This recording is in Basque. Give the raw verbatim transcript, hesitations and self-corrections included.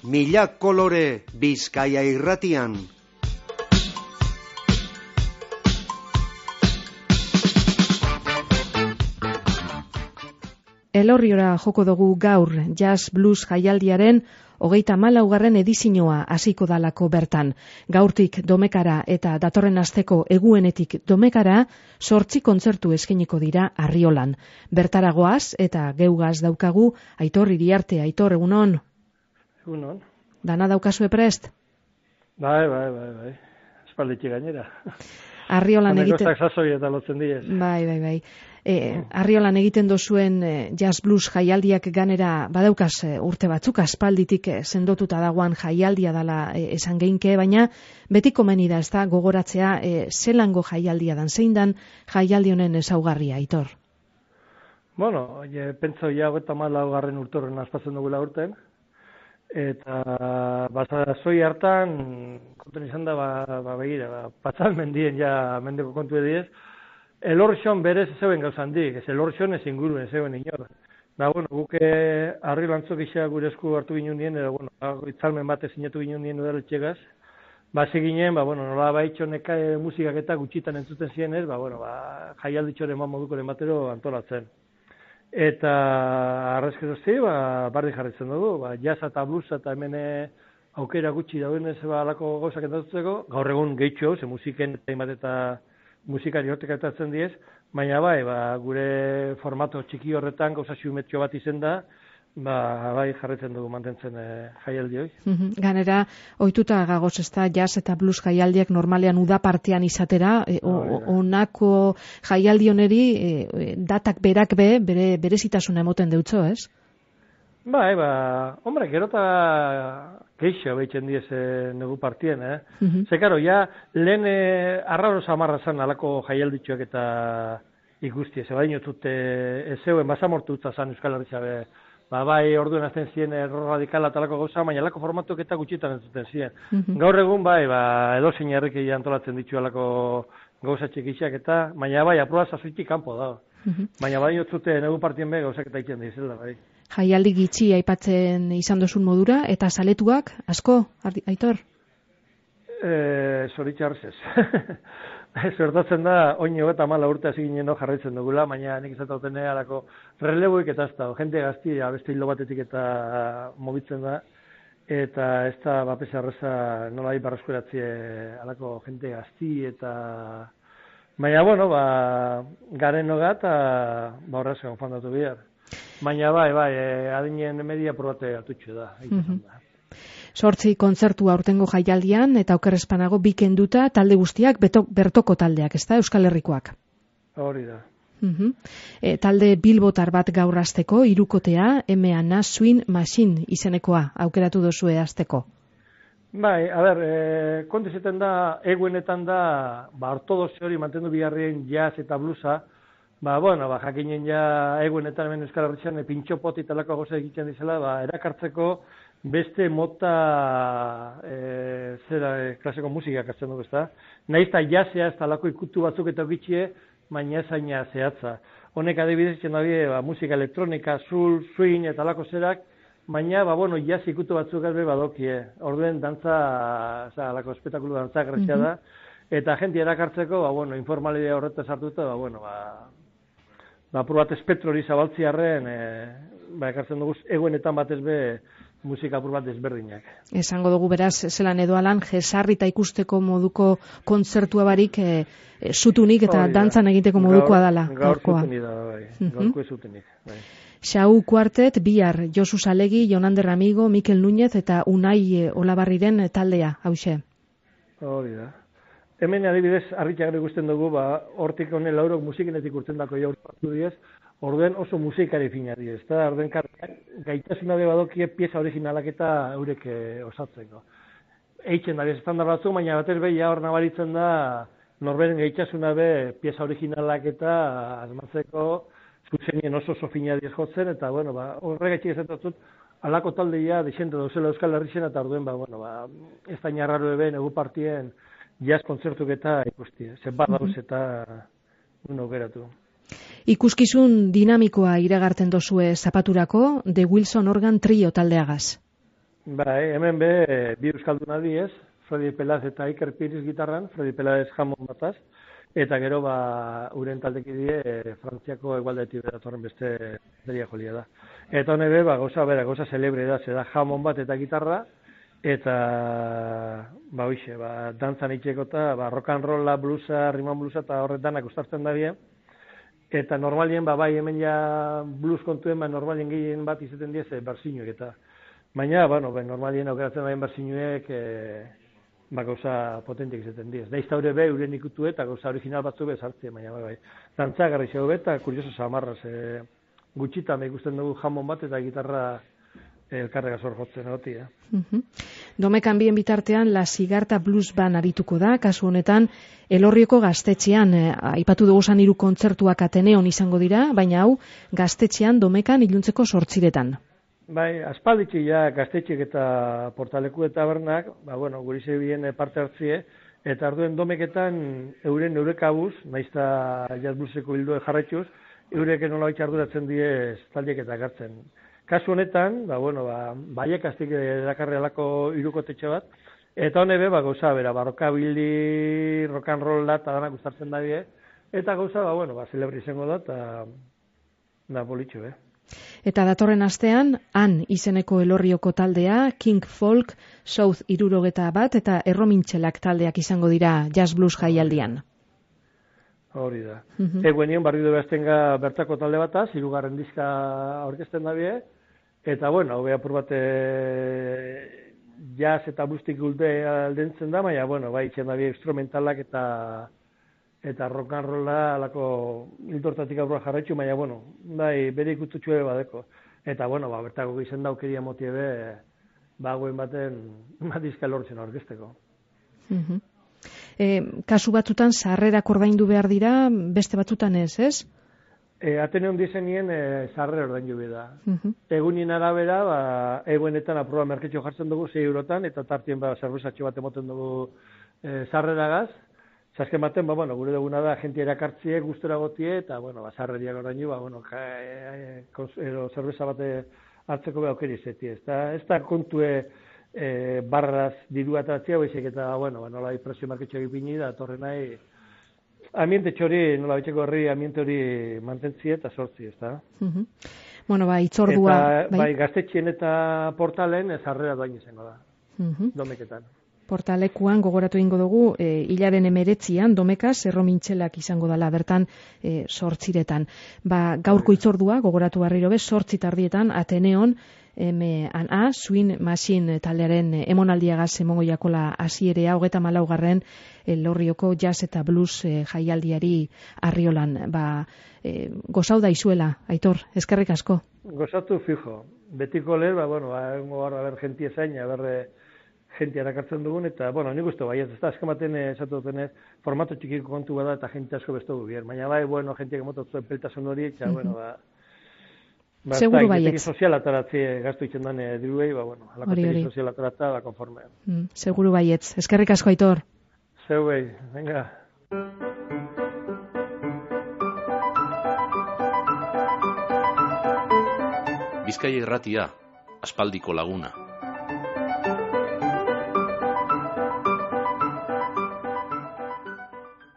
Mila kolore Bizkaia irratian. Elorriora joko dugu gaur Jazz Blues jaialdiaren hogeita hamalaugarren edizioa hasiko dalako bertan. Gaurtik Domekara eta datorren asteko eguenetik Domekara zortzi kontzertu eskainiko dira Arriolan. Bertaragoaz eta geugaz daukagu Aitor Iriarte. Aitor, egunon? Egunon. Dana daukazue prest? Bai, bai, bai, bai. Espalditxe gainera. Arriolan egiten... Honekostak sasoi eta lotzen diez. Bai, bai, bai. E, Arriolan egiten dozuen e, Jazz Blues jaialdiak ganera badaukaz e, urte batzuk, aspalditik e, sendotuta dagoan jaialdia dala e, esan geinke, baina beti komeni da, ez da, gogoratzea e, zelango jaialdia dan, zein dan jaialdi honen ezaugarria, Aitor? Bueno, e, pentsa ja hogeita hamalaugarren urtorren aspatzen dugula urten, eta bazazoi hartan, konten izan da, ba, ba begira, ba, patzal mendien ja mendeko kontu ediez, Elorrion berez ez zeuen gauzan dik, ez Elorrion ez inguruen ez zeuen inor. Da, bueno, guke harri lantzok isa gure esku hartu ginen dien, edo, bueno, itzalmen batez sinatu ginen dien udaletxegaz, ba, ginen, ba, bueno, nola baitxonek musikak eta gutxitan entzuten ziren ez, ba, bueno, ba, jaialditxoren ma modukoren batero antolatzen. Eta arrezkerozti, ba, barri jarritzen dugu, ba, jazz eta blues eta hemen aukera gutxi dauen ez, ba, alako gauzak entatutzeko, gaur egun gehitxo, ze musiken eta eta musikari hortek atatzen diez, baina bai, ba, gure formato txiki horretan gauza xumetxo bat izen da, ba, bai jarretzen dugu mantentzen e, jaialdi hoi. Ganera, ohituta gagoz ez da, jazz eta blues jaialdiak normalean uda partean izatera, e, onako jaialdi honeri e, datak berak be, bere berezitasuna emoten deutzo, ez? Bai, ba, hombre, gero eta keixo behitzen diez e, negu partien, eh? Uh -huh. Ze, karo, ja, lehen e, arraro zamarra zan alako jaialditxoak eta ikusti, ze baino tute ez zeuen basamortu utza zan Euskal Herria be, ba, bai, orduen azten ziren erro radikala talako gauza, baina alako formatuk eta gutxitan entzuten ziren. Uh -huh. Gaur egun, bai, ba, edo zein herrik antolatzen ditu alako gauza txikixak eta, baina bai, aproba zazuitik kanpo da. Uh -huh. Baina bai, otzute negu partien be gauzak eta itzen dizela, bai. Jaialdi gitxi aipatzen izan dozun modura, eta zaletuak, asko, Aitor? E, Zoritxarrez ez. Zertatzen da, oin hogeta amala urte hasi ginen jarraitzen dugula, baina nik izatauten alako releboik eta ez da, jente gazti, beste hilo batetik eta mobitzen da, eta ez da, bapes arreza nola iparraskuratzie alako jente gazti eta... Baina, bueno, ba, garen noga eta ba horrezkan fandatu bihar. Baina bai, bai, eh, adinen media probate atutxo da. Mm-hmm. Sortzi kontzertu aurtengo jaialdian eta okerrezpanago bikenduta talde guztiak beto, bertoko taldeak, ez da, Euskal Herrikoak? Hori da. Mm-hmm. E, talde bilbotar bat gaur hasteko, hirukotea, M A N A Swing Machine izenekoa aukeratu dozue hasteko. Bai, a ber, e, kontu izaten da, eguenetan da, ba, ortodoxi hori mantendu bigarrien jazz eta bluesa, ba, bueno, ba, jakinen ja egunetan hemen Euskal Herrian pintxo poti talako goza egiten dizela, ba, erakartzeko beste mota e, zera e, klaseko musikak hartzen dugu, ezta? Nahiz eta jasea ez talako ikutu batzuk eta bitxie, baina ezaina zehatza. Honek adibidez itzen dabe, ba, musika elektronika, soul, swing eta talako zerak, baina, ba, bueno, jaz ikutu batzuk albe badokie. Orduen dantza, oza, alako espektakulu dantza grazia da, eta jenti erakartzeko, ba, bueno, informalidea horretaz hartuta, ba, bueno, ba, ba, probat espektro hori zabaltziarren, e, ba, ekartzen dugu, eguenetan batez be, musika apur bat desberdinak. Esango dugu beraz, zelan edo alan, jesarrita ikusteko moduko kontzertua barik, e, e, zutunik eta Orida. Dantzan egiteko modukoa dala. Gaur zutunik da, bai. Gaurko ez zutunik, bai. Xau Kuartet, bihar, Josu Salegi, Jonander Amigo, Mikel Núñez eta Unai Olabarriren taldea, hause. Hori da. Hemen adibidez, harritxagre ikusten dugu, ba, hortik honen laurok musikenetik urtzen dako jaur partu diez, orduen oso musikari fina diez, eta orduen gaitasuna be badokie pieza originalak eta eurek osatzeko. Eitzen da, estandar batzu, baina batez be, ja hor nabaritzen da, norberen gaitasuna be pieza originalak eta asmatzeko, zuzenien oso oso fina diez jotzen, eta, bueno, ba, horregaitxik ezatatzut, alako taldeia dixente dauzela Euskal Herrixen, eta orduen, ba, bueno, ba, ez da inarraro eben, egu partien, jazz kontzertuk eta ikusti, zenbat dauz eta uno geratu. Ikuskizun dinamikoa iragarten dozue zapaturako, The Wilson Organ Trio taldeagaz. Bai, hemen be, bi euskaldun adiez, Fredi Pelaz eta Iker Piriz gitarran, Fredi Pelaz jamon bataz, eta gero ba, uren taldeki die, e, Frantziako egualdetik datorren beste deria jolia da. Eta hone be, ba, goza, bera, goza celebre da, zeda jamon bat eta gitarra, eta, ba, hoxe, ba, dantzan itxeko eta, ba, rock and rolla, bluesa, riman bluesa, eta horretanak ustartzen da bien. Eta normalien, ba, bai, hemen ja blues kontuen, ba, normalien gehien bat izaten diez, e, bersinuek eta. Baina, bueno, ben, normalien aukeratzen daien bersinuek, e, ba, gauza potentik izaten diez. Da izta hori be, uren ikutu eta gauza original batzu be sartzen, baina, bai, bai. Dantza garri xeo be, eta kurioso samarraz, e, gutxita me ikusten dugu jamon bat eta gitarra elkarrega zor jotzen hoti, eh? Uh-huh. Domekan bien bitartean, La Sigarta Blues Band arituko da, kasu honetan, Elorrioko gaztetxean, eh, aipatu dugu zan hiru kontzertuak Ateneon izango dira, baina hau, gaztetxean Domekan iluntzeko sortziretan. Bai, aspalditxi ja gaztetxek eta portaleku eta bernak, ba, bueno, guri zebien parte hartzie, eta arduen Domeketan euren eurekabuz, naizta jazz blueseko hildo jarraituz, eurek nola arduratzen diez taldiek eta gartzen. Kasu honetan, ba, bueno, ba, baiek aztik erakarri alako hirukotetxe bat, eta hone be, ba, gauza, bera, barroka bildi, rock and roll da, eta danak gustartzen da die, eta gauza, ba, bueno, ba, celebri izango da, eta da, bolitxo, be. Eta datorren astean, Han izeneko Elorrioko taldea, King Folk, South irurogeta bat, eta Erromintxelak taldeak izango dira jazz blues jaialdian. Hori da. Uh-huh. Eguen nion, barri du behaztenga bertako talde bataz, hirugarren diska aurkezten da bie, eta, bueno, hau behapur bat jazz eta bluestik gulde aldentzen da, baina, bueno, bai, itxen da bie instrumentalak eta eta rock and rolla alako hiltortatik aurra jarraitzu, baina, bueno, bai, bere ikututxue badeko. Eta, bueno, ba, bertako gizen daukeria motie be, ba, guen baten, ba, diska lortzen aurkezteko. Uh-huh. E, kasu batzutan sarrerak ordaindu behar dira, beste batzutan ez, ez? E, Ateneon dizenien e, sarrera ordaindu behar da. Uh-huh. Egunien arabera, ba, eguenetan aproba merketxo jartzen dugu zei eurotan, eta tartien ba, zerbezatxo bat emoten dugu e, sarreragaz. Zasken baten, ba, bueno, gure duguna da, gente erakartzie, gustora gotie, eta, bueno, ba, sarreriak ordaindu, ba, bueno, ja, e, e, zerbeza bate hartzeko be aukeri zeti. Ez da, ez da kontue e, barraz dirua atatzea, baizik eta, bueno, ba, nola presio marketxo egipini da, torre nahi, ambiente txori, nola bitxeko herri, ambiente hori mantentzie eta sortzi, ez da? Uh-huh. Bueno, ba, itzordua... Eta, bai, bai gaztetxien eta portalen, ez harrera doain izango da, uh-huh. Domeketan. Portalekuan gogoratu egingo dugu, e, hilaren emeretzian, Domekaz, Erromintxelak izango dela, bertan, e, sortziretan. Ba, gaurko itzordua, gogoratu barriro bez, sortzi tardietan, Ateneon, M and A, Swing Machine taldearen emonaldiagaz emongo jakola hasierea, hogeta malaugarren, Elorrioko jazz eta blues e, jaialdiari Arriolan. Ba, e, gozau da izuela, Aitor, eskerrik asko. Gozatu fijo. Betiko lehen, ba, bueno, ba, engo barra ber gentie zaina, berre gente erakartzen dugun, eta, bueno, nik uste bai, ez da, azkamaten esatu dutenez, formato txikiko kontu bada, eta gente asko bestu gubier. Baina bai, bueno, gente emototzuen peltasun hori, eta, bueno, ba, ba, seguru baietz. Sozial ataratzi gaztu itzen dane diruei, ba, bueno, alakotegi sozial ataratza, ba, konforme. Mm, seguru baietz. Eskerrik asko, Aitor. Zeu behi, venga. Bizkaia Irratia, aspaldiko laguna.